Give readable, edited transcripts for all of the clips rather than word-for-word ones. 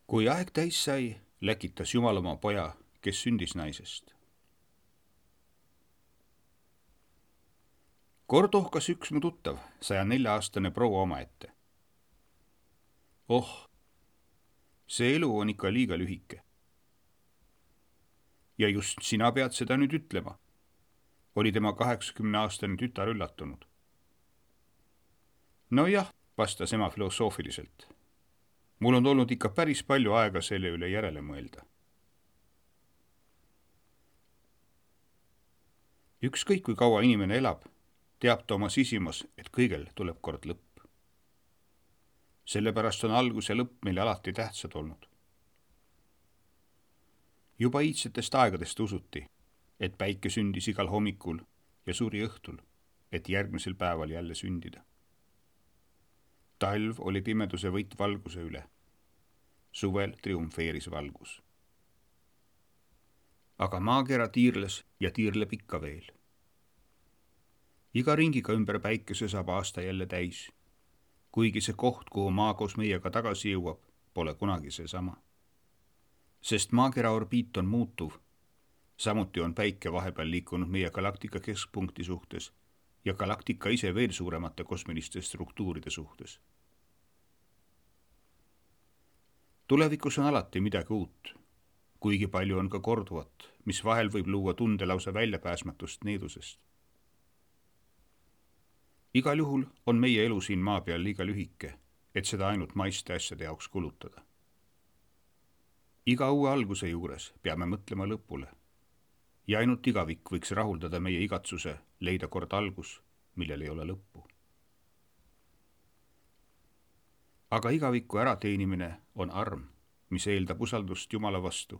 Kui aeg täis sai, läkitas Jumal oma poja, kes sündis naisest. Kord ohkas üks mu tuttav, 104-aastane proua omaette. Oh, see elu on ikka liiga lühike. Ja just sina pead seda nüüd ütlema, oli tema 80-aastane tütar üllatunud. Nojah, vastas ema filosoofiliselt. Mul on olnud ikka päris palju aega selle üle järele mõelda. Ükskõik kui kaua inimene elab, teab ta oma sisimas, et kõigel tuleb kord lõpp. Sellepärast on algus ja lõpp meile alati tähtsad olnud. Juba iidsetest aegadest usuti, et päike sündis igal hommikul ja suri õhtul, et järgmisel päeval jälle sündida. Talv oli pimeduse võit valguse üle. Suvel triumfeeris valgus. Aga maakera tiirles ja tiirleb ikka veel. Iga ringiga ümber päikese saab aasta jälle täis, kuigi see koht, kuhu maa koos meiega tagasi jõuab, pole kunagi seesama. Sest maakera orbiit on muutuv, samuti on päike vahepeal liikunud meie galaktika keskpunkti suhtes ja galaktika ise veel suuremate kosmiliste struktuuride suhtes. Tulevikus on alati midagi uut, kuigi palju on ka korduvat, mis vahel võib luua tunde lausa väljapääsmatust needusest. Igal juhul on meie elu siin maa peal liiga lühike, et seda ainult maiste asjade jaoks kulutada. Iga uue alguse juures peame mõtlema lõpule ja ainult igavik võiks rahuldada meie igatsuse leida kord algus, millel ei ole lõppu. Aga igaviku ärateenimine on arm, mis eeldab usaldust Jumala vastu,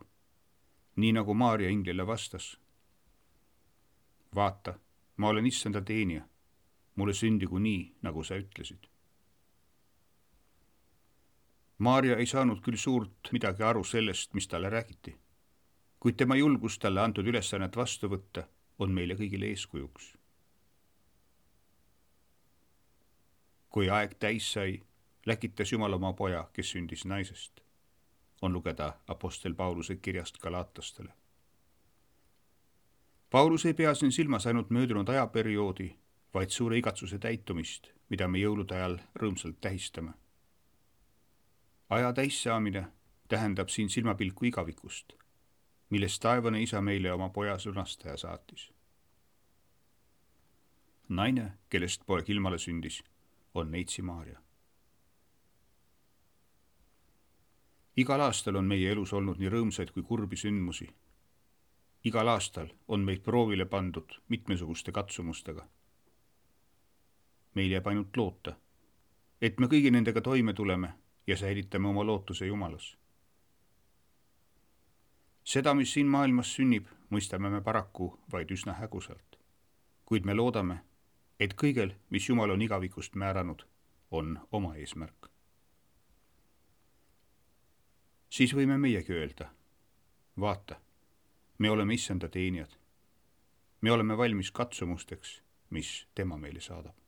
nii nagu Maarja inglile vastas. Vaata, ma olen issanda teenija, mulle sündigu nii, nagu sa ütlesid. Maarja ei saanud küll suurt midagi aru sellest, mis talle räägiti, kuid tema julgus talle antud ülesannet vastu võtta on meile kõigile eeskujuks. Kui aeg täis sai, läkitas Jumal oma poja, kes sündis naisest, on lugeda apostel Pauluse kirjast Galatlastele. Paulus ei pea siin silmas ainult möödunud ajaperioodi, vaid suure igatsuse täitumist, mida me jõulude ajal rõõmsalt tähistame. Aja täissaamine tähendab siin silmapilku igavikust, millest taevane isa meile oma poja sõnastaja saatis. Naine, kellest poeg ilmale sündis, on neitsi Maarja. Igal aastal on meie elus olnud nii rõõmsaid kui kurbi sündmusi. Igal aastal on meid proovile pandud mitmesuguste katsumustega. Meil jääb ainult loota, et me kõigi nendega toime tuleme ja säilitame oma lootuse Jumalas. Seda, mis siin maailmas sünnib, mõistame me paraku vaid üsna hägusalt, kuid me loodame, et kõigel, mis Jumal on igavikust määranud, on oma eesmärk. Siis võime meiegi öelda, vaata, me oleme issanda teenijad. Me oleme valmis katsumusteks, mis tema meile saadab.